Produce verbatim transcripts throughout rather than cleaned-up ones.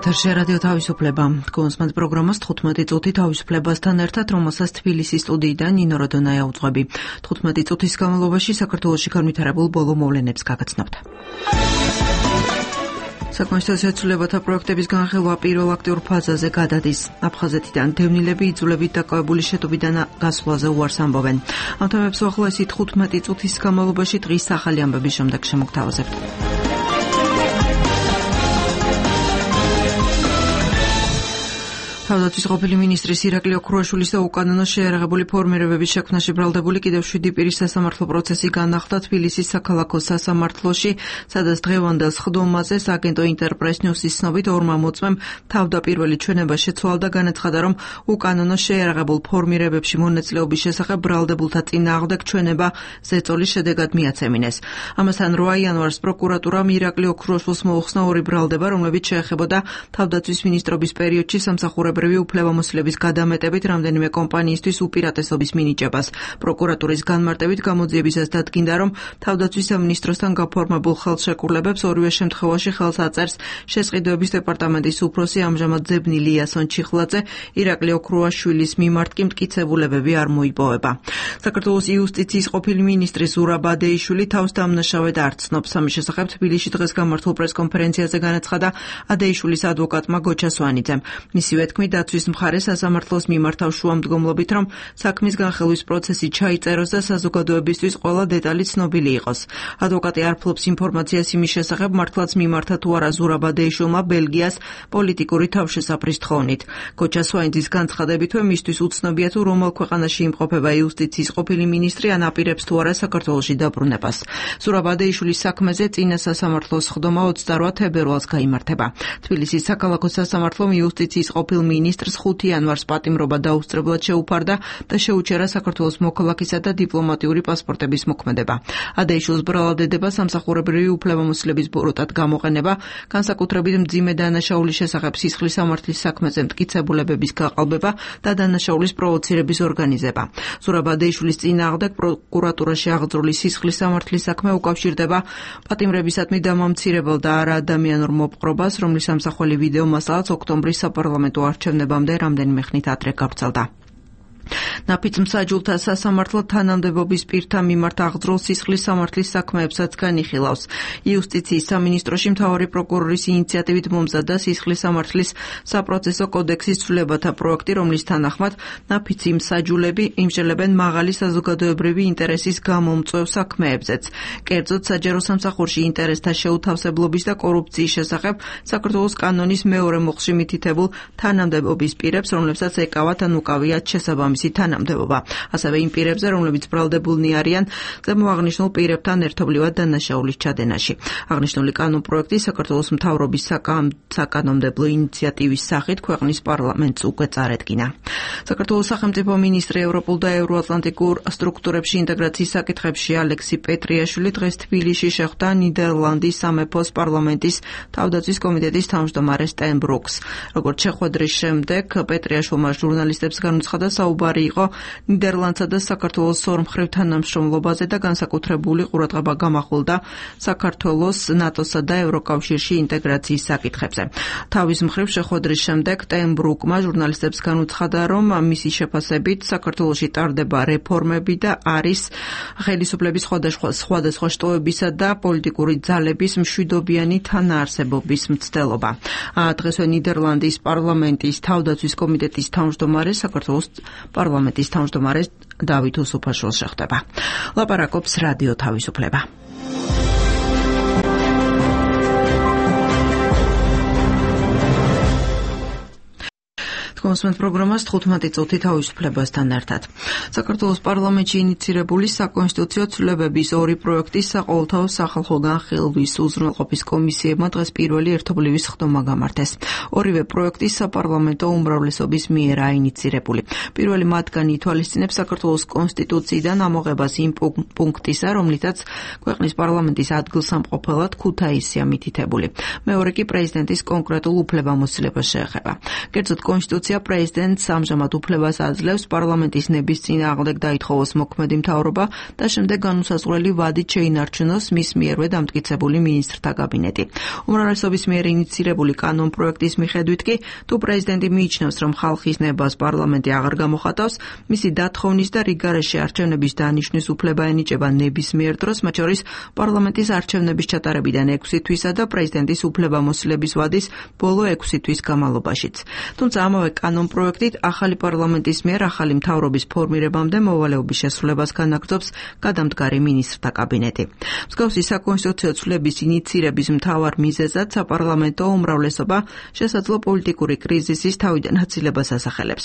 ეთერში რადიო თავისუფლება. კონსმენტ პროგრამას თხუთმეტი წუთი თავისუფლებასთან ერთად, რომელსაც თბილისის სტუდიიდან ნინო როდონაია უძღვები. თხუთმეტი წუთის განმავლობაში საქართველოში განვითარებულ ბოლო მოვლენებს გაგაცნობთ. საკონსტიტუციო ცვლილებათა პროექტების განხილვა პირველ აქტიურ ფაზაზე გადადის. აფხაზეთიდან დევნილები იძულებით დაკავებული შეტობიდან გასვლაზე უარს ამბობენ. ამ თემებს უახლოესი თხუთმეტი წუთის განმავლობაში დღის ახალი ამბების შემდეგ შემოგთავაზებთ. თავდაცვის ყოფილი მინისტრის ირაკლი ოქრუაშვილის და უკანონო შეიარაღებული ფორმირებების შექმნაში ბრალდებული კიდევ შვიდი პირის სასამართლო პროცესი განახლდა თბილისის საქალაქო სასამართლოში, სადაც დღევანდელ სხდომაზე სააგენტო ინტერპრეს ნიუსის ცნობით ორმა მოწმემ თავდაპირველი ჩვენება შეცვალა და განაცხადა, რომ უკანონო შეიარაღებულ ფორმირებებში მონაწილეობის შესახებ ბრალდებულთა წინააღმდეგ ჩვენება ზეწოლის შედეგად მიაცემინეს. ამასთან რვა იანვარს პროკურატურამ ირაკლი ოქრუაშვილს მოუხსნა ორი ბრალდება, რომლებიც შეეხებოდა თავდაცვის მინისტრობის პერიოდში სამსახურებრივი უფლებამოსილების გადამეტებით რამდენიმე კომპანიისთვის უპირატესობის მინიჭებას. პროკურატურის განმარტებით გამოძიებისას დადგინდა, რომ თავდაცვის სამინისტროსთან გაფორმებულ ხელშეკრულებებს ორივე შემთხვევაში ხელს აწერს შესყიდვების დეპარტამენტის უფროსი ამჟამად ძებნილი იასონ ჩიხლაძე, ირაკლი ოქრუაშვილის მიმართ კი მტკიცებულებები არ მოიპოვება. საქართველოს იუსტიციის ყოფილი მინისტრი ზურაბ ადეიშვილი თავს დამნაშავედ არ ცნობს. ამის შესახებ თბილისში დღეს გამართულ პრესკონფერენციაზე განაცხადა ადეიშვილის ადვოკატმა გოჩა სვანიძემ. მისივე თქმით, დაცვის მხარე სასამართლოს მიმართავ შუამდგომლობით, რომ საქმის განხილვის პროცესი ჩაიწეროს და საზოგადოებისთვის ყველა დეტალი ცნობილი იყოს. ადვოკატი არ ფლობს ინფორმაციას იმის შესახებ, მართლაც მიმართა თუ არა ზურაბ ადეიშვილმა ბელგიას პოლიტიკური თავშესაფრის თხოვნით. გოჩა სვანიძის განცხადებითვე მისთვის უცნობია თუ რომელ ქვეყანაში იმყოფება იუსტიციის ყოფილი მინისტრი ან აპირებს თუ არა საქართველოში დაბრუნებას. ზურაბ ადეიშვილის საქმეზე წინა სასამართლოს სხდომა ოცდარვა თებერვალს გაიმართება. თბილისის საქალაქო სასამართლომ იუსტიციის ყოფილ მინისტრს ხუთი იანვარს პატიმრობა დაუსწრებლად შეუფარდა და შეუჩერა საქართველოს მოქალაქისა და დიპლომატიური პასპორტების მოქმედება. ადეიშვილს ბრალადედება სამსახურებრივი უფლებამოსილების ბოროტად გამოყენება, განსაკუთრებით მძიმე დანაშაულის შესახებ სისხლის სამართლის საქმეზე მტკიცებულებების გაყალბება და დანაშაულის პროვოცირების ორგანიზება. ზურაბ ადეიშვილის წინააღმდეგ პროკურატურაში აღძრული სისხლის სამართლის საქმე უკავშირდება პატიმრებისადმი დამამცირებელ და არაადამიანურ მოპყრობას, რომლის ამსახველი ვიდეო მასალაც ოქტომბრის საპარლამენტო არჩევნებამდე რამდენიმე ხნით ადრე გავრცელდა. ნაფიც მსაჯულთა სასამართლო თანამდებობის პირთა მიმართ აღძრულ სისხლის სამართლის საქმეებსაც განიხილავს. იუსტიციის სამინისტროში მთავარი პროკურორის ინიციატივით მომზადდა სისხლის სამართლის საპროცესო კოდექსის ცვლილებათა პროექტი, რომლის თანახმად ნაფიცი მსაჯულები იმსჯელებენ მაღალი საზოგადოებრივი ინტერესის გამომწვევ საქმეებზეც. კერძოდ, საჯარო სამსახურში ინტერესთა შეუთავსებლობის და კორუფციის შესახებ საქართველოს კანონის მეორე მოხში მითითებულ თანამდებობის პირებს, რომლებსაც ეკავათ ან უკავიათ შესაბამისი თანამდებობა. ასევე იმ პირებზე, რომლებიც ბრალდებულნი არიან ზემოაღნიშნულ პირებთან ერთობლივად დანაშაულის ჩადენაში. აღნიშნული კანონპროექტი საქართველოს მთავრობის საკანონმდებლო ინიციატივის სახით ქვეყნის პარლამენტს უკვე წარადგინა. საქართველოს სახელმწიფო მინისტრი ევროპულ და ევროატლანტიკურ სტრუქტურებში ინტეგრაციის საკითხებში ალექსი პეტრიაშვილი დღეს თბილისში შეხვდა ნიდერლანდის სამეფოს პარლამენტის თავდაცვის კომიტეტის თავმჯდომარე სტენ ბრუკს. როგორც შეხვედრის შემდეგ პეტრიაშვილმა ჟურნალისტებს განუცხადა, საუბარი იყო ნიდერლანდსა და საქართველოს ორმხრივ თანამშრომლობაზე და განსაკუთრებული ყურადღება გამახვილდა საქართველოს ნატოსა და ევროკავშირში ინტეგრაციის საკითხებზე. თავის მხრივ შეხვედრის შემდეგ სტენ ბრუკმა ჟურნალისტებს განუცხადა, რომ მისი შეფასებით საქართველოში ტარდება რეფორმები და არის ხელისუფლების სხვადასხვა სხვადასხვა შტოებისა და პოლიტიკური ძალების მშვიდობიანი თანაარსებობის მცდელობა. დღესვე ნიდერლანდის პარლამენტის თავდაცვის კომიტეტის თავმჯდომარე საქართველოს პარლამენტის თავმჯდომარე დავით უსუფაშვილს შეხვდება. ლაპარაკობს რადიო თავისუფლება. კონსმენტ პროგრამას თხუთმეტი წუთი თავისუფლებასთან ერთად. საქართველოს პარლამენტში ინიცირებული საკონსტიტუციო ცვლილებების ორი პროექტის საყოველთაო სახალხო განხილვის უზრუნველყოფის კომისიებმა დღეს პირველი ერთობლივი სხდომა გამართეს. ორივე პროექტი საპარლამენტო უმრავლესობის მიერ აინიცირებული. პირველი მათგანი ითვალისწინებს საქართველოს კონსტიტუციიდან ამოღებას იმ პუნქტისა, რომლითაც ქვეყნის პარლამენტის ადგილსამყოფელად ქუთაისია მითითებული. მეორე კი პრეზიდენტის კონკრეტულ უფლებამოსილებას შეეხება. კერძოდ, კონსტიტუცია მისია პრეზიდენტს ამჟამად უფლებას აძლევს პარლამენტის ნების წინააღმდეგ დაითხოვოს მოქმედი მთავრობა და შემდეგ განუსაზღვრელი ვადით შეინარჩუნოს მის მიერვე დამტკიცებული მინისტრთა კაბინეტი. უმრავლესობის მიერ ინიცირებული კანონპროექტის მიხედვით კი, თუ პრეზიდენტი მიიჩნევს, რომ ხალხის ნებას პარლამენტი აღარ გამოხატავს, მისი დათხოვნის და რიგგარეშე არჩევნების დანიშვნის უფლება ენიჭება ნებისმიერ დროს, მათ შორის პარლამენტის არჩევნების ჩატარებიდან ექვსი თვისა და პრეზიდენტის უფლებამოსილების ვადის ბოლო ექვსი თვის განმავლობაშიც. თუმცა ამავე კანონპროექტით ახალი პარლამენტის მიერ ახალი მთავრობის ფორმირებამდე მოვალეობის შესრულებას განაგრძობს გადამდგარი მინისტრთა კაბინეტი. მსგავსი საკონსტიტუციო ცვლილების ინიცირების მთავარ მიზეზად საპარლამენტო უმრავლესობა შესაძლო პოლიტიკური კრიზისის თავიდან აცილებას ასახელებს.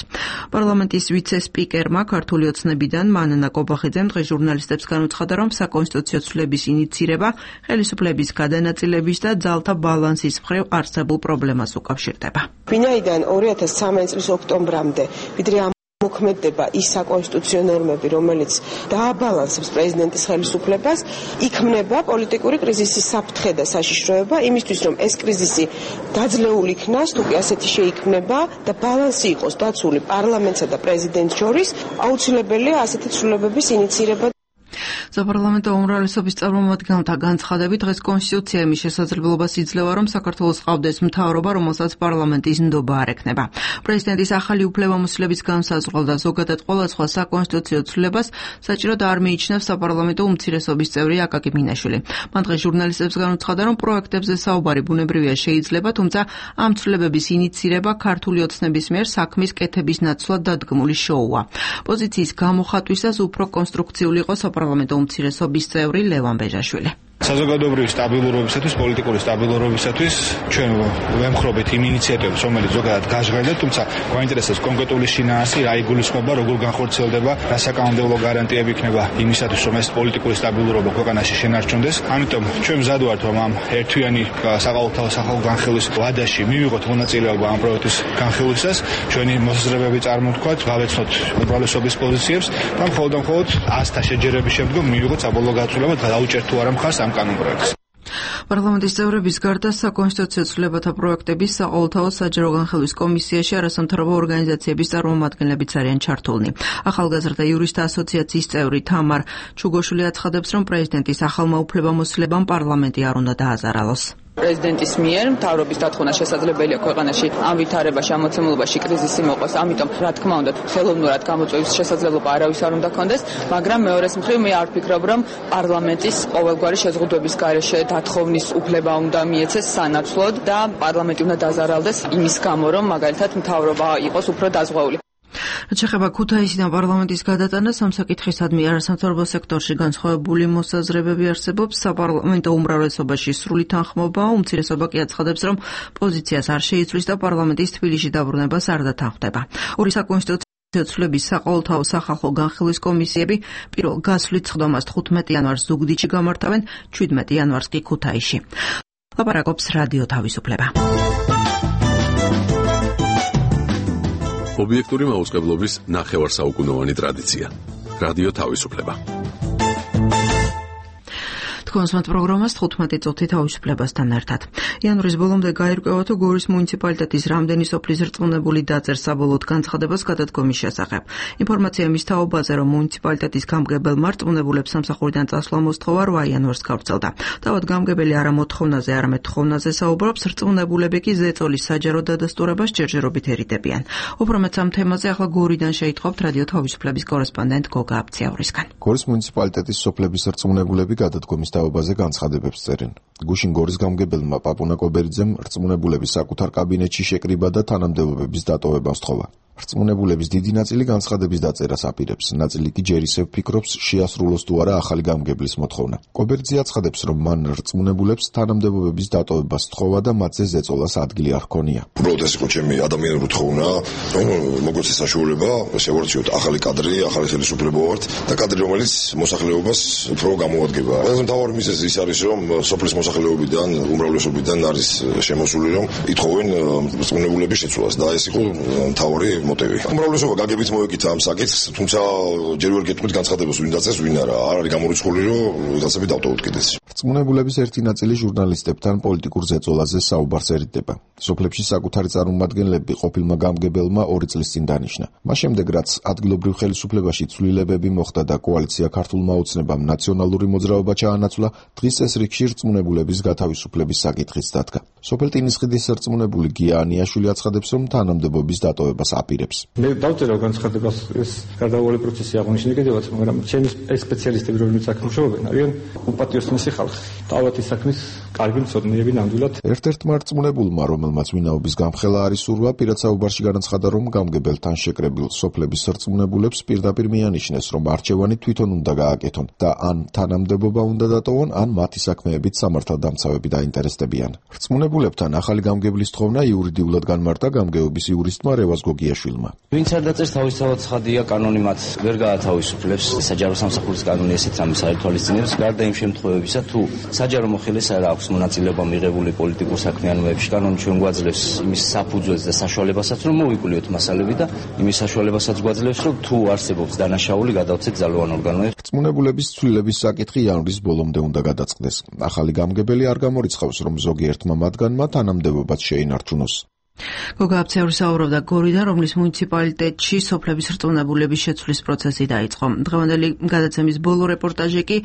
პარლამენტის ვიცე-სპიკერმა ქართული ოცნებიდან მანანა კობახიძემ დღეს ჟურნალისტებს განუცხადა, რომ საკონსტიტუციო ცვლილების ინიცირება ხელისუფლების გადანაწილების და ძალთა ბალანსის მხრივ არსებულ პრობლემას უკავშირდება. ვინაიდან ორი ათას ცხრამეტი წლის ოქტომბრამდე ვიდრე მოქმედდება ის საკონსტიტუციო ნორმები, რომელიც დააბალანსებს პრეზიდენტის ხელისუფლებას, იქმნება პოლიტიკური კრიზისის საფრთხე და საშიშროება იმისთვის, რომ ეს კრიზისი დაძლეული იქნას, თუ კი ასეთი შეიქმნება და ბალანსი იყოს დაცული პარლამენტსა და პრეზიდენტს შორის, აუცილებელია ასეთი ცვლილებების ინიცირება. საპარლამენტო უმრავლესობის წარმომადგენელთა განცხადებით დღეს კონსტიტუცია იმის შესაძლებლობას იძლევა, რომ საქართველოს ყავდეს მთავრობა, რომელსაც პარლამენტის ნდობა არ ექნება. პრეზიდენტის ახალი უფლებამოსილების განსაზღვრა და ზოგადად ყველა სხვა საკონსტიტუციო ცვლილებას საჭიროდ არ მიიჩნევს საპარლამენტო უმცირესობის წევრი აკაკი მინაშვილი. მან დღეს ჟურნალისტებს განუცხადა, რომ პროექტებზე საუბარი ბუნებრივია შეიძლება, თუმცა ამ ცვლილებების ინიცირება ქართული ოცნების მიერ საქმის კეთების ნაცვლად დადგმული შოუა. პოზიციის გამოხატვისას უფრო კონსტრუქციული იყო საპარლამენტო უმცირესობის წევრი ლევან ბეჟაშვილი. საზოგადოებრივი სტაბილურობისათვის, პოლიტიკური სტაბილურობისათვის ჩვენ ვემხრობთ იმ ინიციატივებს, რომელიც ზოგადად გაჟღერდა, თუმცა გვაინტერესებს კონკრეტული შინაარსი, რა იგულისხმება, როგორ განხორციელდება, რა საკანონმდებლო გარანტიები იქნება იმისათვის, რომ ეს პოლიტიკური სტაბილურობა ქვეყანაში შენარჩუნდეს. ამიტომ ჩვენ მზად ვართ, რომ ამ ერთვიანი საყოველთაო სახალხო განხილვის ვადაში მივიღოთ მონაწილეობა ამ პროექტის განხილვისას, ჩვენი მოსაზრებები წარმოვთქვათ, გავეცნოთ უმრავლესობის პოზიციებს და მხოლოდ და მხოლოდ ასთა შეჯერების შემდგომ მივიღოთ საბოლოო გაცვლილება და დაუჭერთ თუ არა მხარს ამ კანონპროექტს. პარლამენტის წევრების გარდა საკონსტიტუციო ცვლილებათა პროექტების საყოველთაო საჯარო განხილვის კომისიაში არასამთავრობო ორგანიზაციების წარმომადგენლებიც არიან ჩართულნი. ახალგაზრდა იურისტთა ასოციაციის წევრი თამარ ჩუგოშვილი აცხადებს, რომ პრეზიდენტის ახალმა უფლებამოსილებამ პარლამენტი არ უნდა დააზარალოს. პრეზიდენტის მიერ მთავრობის დათხოვნა შესაძლებელია ქვეყანაში ამ ვითარებაში, ამ მოცემულობაში კრიზისი მოყოს, ამიტომ რა თქმა უნდა ხელოვნურად გამოწვევის შესაძლებლობა არავის არ უნდა ქონდეს, მაგრამ მეორეს მხრივ მე არ ვფიქრობ, რომ პარლამენტის ყოველგვარი შეზღუდვების გარეშე დათხოვნის უფლება უნდა მიეცეს სანაცვლოდ და პარლამენტი უნდა დაზარალდეს იმის გამო, რომ მაგალითად მთავრობა იყოს უფრო დაზღვეული. რაც შეეხება ქუთაისიდან პარლამენტის გადატანას, ამ საკითხისადმი არასამთავრობო სექტორში განსხვავებული მოსაზრებები არსებობს. საპარლამენტო უმრავლესობაში სრული თანხმობა, უმცირესობა კი აცხადებს, რომ პოზიციას არ შეიცვლის და პარლამენტის თბილისში დაბრუნებას არ დათანხმდება. ორი საკონსტიტუციო ცვლილების საყოველთაო სახალხო განხილვის კომისიები პირველ გასვლით სხდომას თხუთმეტი იანვარს ზუგდიდში გამართავენ, შვიდმეტი იანვარს კი ქუთაისში. ლაპარაკობს რადიო თავისუფლება. ობიექტური მაუწყებლობის ნახევარსაუკუნოვანი ტრადიცია. რადიო თავისუფლება. თქვენს პროგრამას თხუთმეტი წუთი თავისუფლებასთან ერთად. იანვრის ბოლომდე გაირკვევა, თუ გორის მუნიციპალიტეტის რამდენი სოფლის რწმუნებული დაწერს საბოლოოდ განცხადებას გადადგომის შესახებ. ინფორმაცია იმის თაობაზე, რომ მუნიციპალიტეტის გამგებელმა რწმუნებულებს სამსახურიდან წასვლა მოსთხოვა რვა იანვარს გავრცელდა. თავად გამგებელი არა მოთხოვნაზე, არამედ თხოვნაზე საუბრობს, რწმუნებულები კი ზეწოლის საჯარო დადასტურებას ჯერჯერობით ერიდებიან. უფრო მეტ ამ თემაზე ახლა გორიდან შეიტყობთ რადიო თავისუფლების კორესპონდენტ გოგა აბციაურისგან. გორის მუნიციპალიტეტის სოფლების რწმუნებულები გადადგომის თაობაზე განცხადებებს წერენ. გუშინ გორის გამგებელმა პაპუნა კობერიძემ რწმუნებულების საკუთარ კაბინეტში შეკრიბა და თანამდებობების დატოვება სთხოვა. რწმუნებულების დიდი ნაწილი განცხადების დაწერას აპირებს, ნაწილი კი ჯერ ისევ ფიქრობს შეასრულოს თუ არა ახალი გამგებლის მოთხოვნა. კობერიძე აცხადებს, რომ მან რწმუნებულებს თანამდებობების დატოვება სთხოვა და მათზე ზეწოლას ადგილი არ ჰქონია. უბრალოდ ეს იყო ჩემი ადამიანური თხოვნა, რომ მოგვეცეს საშუალება შევარჩიოთ ახალი კადრი, ახალი ხელისუფლება ვართ და კადრი, რომელიც მოსახლეობას უფრო გამოადგება. ყველაზე მთავარი მიზეზი ის არის, რომ სოფლის მოსახლეობიდან, უმრავლესობიდან არის შემოსული, რომ ითხოვენ რწმუნებულების შეცვლას და ეს იყო მთავარი მოტივი. უმრავლესობა გაგებით მოეკითა ამ საკითხს, თუმცა ჯერ ვერ გეტყვით განცხადებას ვინ დაწეს, ვინ არა. არ არის გამორიცხული, რომ ვიღაცები დავტოვოთ კიდეც. რწმუნებულების ერთი ნაწილი ჟურნალისტებთან პოლიტიკურ ზეწოლაზე საუბარს ერიდება. სოფლებში საკუთარი წარმომადგენლები ყოფილმა გამგებელმა ორი წლის წინ დანიშნა. მას შემდეგ, რაც ადგილობრივ ხელისუფლებაში ცვლილებები მოხდა და კოალიცია ქართულმა ოცნებამ ნაციონალური მოძრაობა ჩაანაცვლა, დღის ეს რიგში რწმუნებულების გათავისუფლების საკითხიც დადგა. სოფელ ტინისხიდის რწმუნებული გია ანიაშვილი აცხადებს, რომ თანამდებობის დატოვებას აპირებს. მე დავწერა განცხადებას ეს გარდაუვალი პროცესი აღნიშნე კიდევაც, მაგრამ ჩემი სპეციალისტები რომლებიც აქ მუშაობენ, არიან უპატიოსნესი ხალხი. თავათი საქმის კარგი მცოდნეები ნამდვილად. ერთ-ერთმა რწმუნებულმა, რომელმაც ვინაობის გამხელა არის სურვა, პირად საუბარში განაცხადა, რომ გამგებელთან შეკრებილ სოფლების რწმუნებულებს პირდაპირ მიანიშნეს, რომ არჩევანი თვითონ უნდა გააკეთონ და ან თანამდებობა უნდა დატოვონ, ან მათი საქმეებით სამართალდამცავები დაინტერესდებიან. რწმუნებულებთან ახალი გამგებლის თხოვნა იურიდიულად განმარტა გამგეობის იურისტმა რევაზ გოგიაშვილმა. ვინც არ დაწერს თავისთავად ცხადია, კანონი მათ ვერ გაათავისუფლებს, საჯარო სამსახურის კანონი ესეც ამის არ ითვალისწინებს, გარდა იმ შემთხვევებისა, თუ საჯარო მოხელეს არ აქვს მონაწილეობა მიღებული პოლიტიკურ საქმიანობებში, კანონი ჩვენ გვაძლევს იმის საფუძველს და საშუალებასაც, რომ მოვიკვლიოთ მასალები და იმის საშუალებასაც გვაძლევს, რომ თუ არსებობს დანაშაული, გადავცეთ ძალოვან ორგანოებს. რწმუნებულების ცვლილების საკითხი იანვრის ბოლომდე უნდა გადაწყდეს. ახალი გამგებელი არ გამორიცხავს, რომ ზოგიერთმა მათგანმა თანამდებობაც შეინარჩუნოს. გოგა აფცეური საუბრობდა გორიდან, რომლის მუნიციპალიტეტში სოფლების რწმუნებულების შეცვლის პროცესი დაიწყო. დღევანდელი გადაცემის ბოლო რეპორტაჟი კი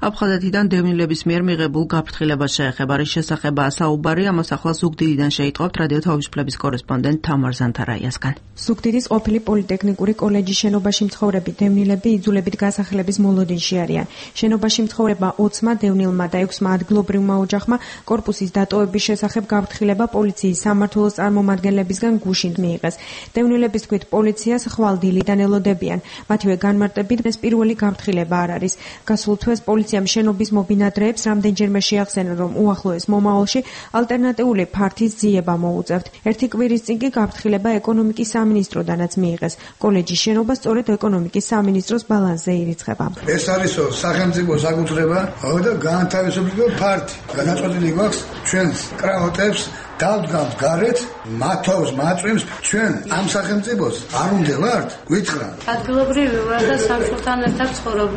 აფხაზეთიდან დევნილების მიერ მიღებულ გაფრთხილებას შეეხება. რის შესახებაა საუბარი, ამას ახლა ზუგდიდიდან შეიტყობთ რადიო თავისუფლების კორესპონდენტ თამარ ზანთარაიასგან. ზუგდიდის ყოფილი პოლიტექნიკური კოლეჯის შენობაში მცხოვრები დევნილები იძულებით გასახლების მოლოდინში არიან. შენობაში მცხოვრებმა ოცმა დევნილმა და ექვსმა ადგილობრივმა ოჯახმა კორპუსის დატოვების შესახებ გაფრთხილება პოლიციის სამმართველოს წარმომადგენლებისგან გუშინ მიიღეს. დევნილების თქმით, პოლიციას ხვალ დილიდან ელოდებიან. მათივე განმარტებით, ეს პირველი გაფრთხილება არ არის. გასულ თვეს პოლიციამ შენობის მობინადრეებს რამდენჯერმე შეახსენა, რომ უახლოეს მომავალში ალტერნატიული ფართის ძიება მოუწევთ. ერთი კვირის წინ კი გაფრთხილება ეკონომიკის სამინისტროდანაც მიიღეს. კოლეჯის შენობა სწორედ ეკონომიკის სამინისტროს ბალანსზე ირიცხება. ეს არის სახელმწიფო საკუთრება და განთავისუფლებული ფართი. გადაწყვეტილი გვაქვს ჩვენს კრაოტებს დავდგამთ გარეთ, მათავს მაწვიმს ჩვენ ამ სახელმწიფოს არ უნდა ვართ, გითხრათ. ადგილობრივი ვარ და სამშობლთან ერთად ცხოვრობ.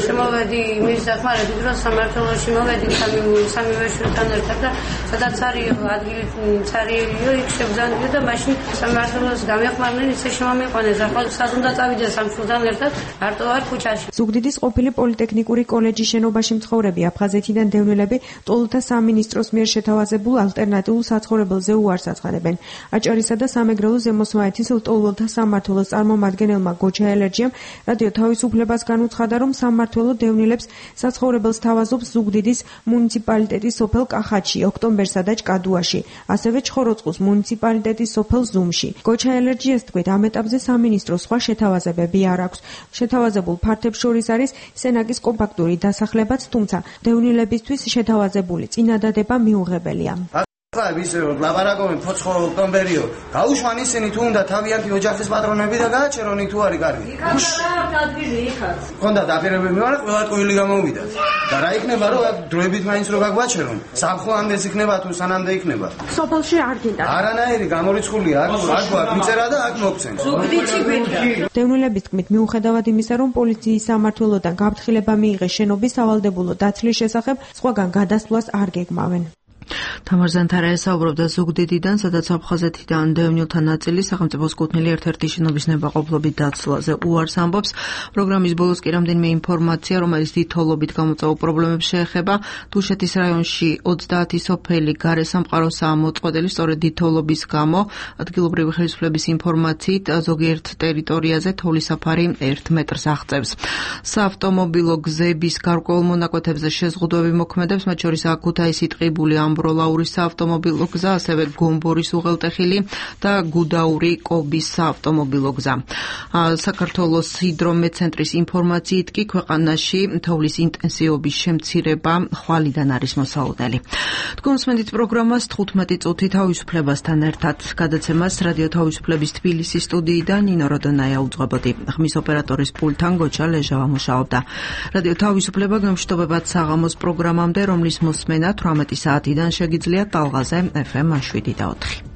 შემოვედი იმის დახმარებით, რომ სამართალოში მოვედი სამივე შვილთან ერთად და სადაც არის ადგილი цаრიელიო, იქ შევძანდიო და მაშინ სამართალოს გამეხმარნენ, ისე შემომიყვანეს. ახლა სად უნდა წავიდე სამშობლთან ერთად, მარტო ვარ ქუჩაში. ზუგდიდის ყოფილი პოლიტექნიკური კოლეჯის შენობაში მცხოვრები აფხაზეთიდან დევნილები ტოლთა სამინისტროს მიერ შეთავაზებულ ალტერნატიულ საცხოვრებელზე უარს აცხადებენ. აჭარისა და სამეგრელო ზემოსვანეთის ლტოლველთა სამმართველოს წარმომადგენელმა გოჩა ელერჯიამ რადიო თავისუფლებას განუცხადა, რომ სამმართველო დევნილებს საცხოვრებელს თავაზობს ზუგდიდის მუნიციპალიტეტის სოფელ კახათში, ოქტომბერსა და ჭკადუაში, ასევე ჩხოროწყუს მუნიციპალიტეტის სოფელ ზუმში. გოჩა ელერჯიას თქმით, ამ ეტაპზე სამინისტროს სხვა შეთავაზებები არ აქვს. შეთავაზებულ ფართებს შორის არის სენაკის კომპაქტური დასახლებაც, თუმცა დევნილებისთვის შეთავაზებული წინადადება მიუღებელია. ხა ისე ლაბარაკობენ ფოცხო ოქტომბერიო გაუშვან ისინი თუ უნდა თავიანთი ოჯახის პატრონები და გააჩერონ თუ არის კარგი იქაც ადგილი იქაც ხონდა დაპირებები ვარ ყველა ტყუილი გამოვიდათ და რა იქნება რომ დროებით მაინც რო გაგვაჩერონ სამხლანდეს იქნება თუ სანამდე იქნება სოფელში არ გინდა არანაირი გამორიცხულია აქ აქ მიწერა და აქ მოგცენ ზუგდიდში გვინდა დევნილების თქმით, მიუხედავად იმისა, რომ პოლიციის სამმართველოდან გაფრთხილება მიიღეს შენობის სავალდებულო დაცლის შესახებ, სხვაგან გადასვლას არ გეგმავენ. თამარ ზანთარაია საუბრობდა ზუგდიდიდან, სადაც აფხაზეთიდან დევნილთა ნაწილი სახელმწიფოს კუთვნილი ერთ-ერთი შენობის ნებაყოფლობით დაცლაზე უარს ამბობს. პროგრამის ბოლოს კი რამდენიმე ინფორმაცია, რომელიც დიდთვალობით გამოწვეულ პრობლემებს შეეხება. თუშეთის რაიონში ოცდაათი სოფელი გარესამყაროსაა მოწყვეტილი, სწორედ დიდთვალობის გამო. ადგილობრივი ხელისუფლების ინფორმაციით, ზოგიერთ ტერიტორიაზე თოვლის საფარი ერთ მეტრს აღწევს. საავტომობილო გზების გარკვეულ მონაკვეთებზე შეზღუდვები მოქმედებს, მათ შორის აქუთაისი ტყიბული ამბროლაურის საავტომობილო გზა, ასევე გომბორის უღელტეხილი და გუდაური კობის საავტომობილო გზა. საქართველოს ჰიდრომეტცენტრის ინფორმაციით კი ქვეყანაში თოვლის ინტენსივობის შემცირება ხვალიდან არის მოსალოდნელი. თქვენ უსმენთ პროგრამას თხუთმეტი წუთი თავისუფლებასთან ერთად. გადაცემას რადიო თავისუფლების თბილისის სტუდიიდან ნინო როდონაია უძღვებოდი. ხმის ოპერატორის პულტთან გოჩა ლეჟავა მუშაობდა. რადიო თავისუფლება გემშვიდობებად საღამოს პროგრამამდე, რომლის მოსმენა თვრამეტი საათიდან შეგიძლიათ ტალღაზე ეფ ემ შვიდი და ოთხი.